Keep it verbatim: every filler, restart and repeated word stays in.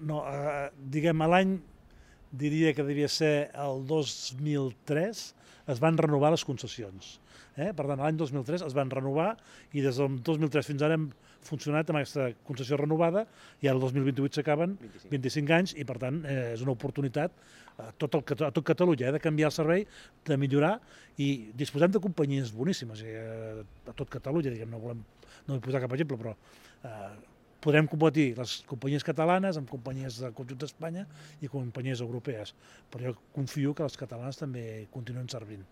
No, eh, diguem, a l'any, diria que devia ser el dos mil tres, es van renovar les concessions. Eh? Per tant, l'any dos mil tres es van renovar i des del dos mil tres fins ara hem funcionat amb aquesta concessió renovada i ara el dos mil vint-i-vuit s'acaben vint-i-cinc anys i, per tant, eh, és una oportunitat a tot, el, a tot Catalunya eh, de canviar el servei, de millorar i disposem de companyies boníssimes eh, a tot Catalunya, diguem, no volem no vull posar cap exemple, però eh, podrem competir les companyies catalanes amb companyies del conjunt d'Espanya i companyies europees, però jo confio que les catalanes també continuen servint.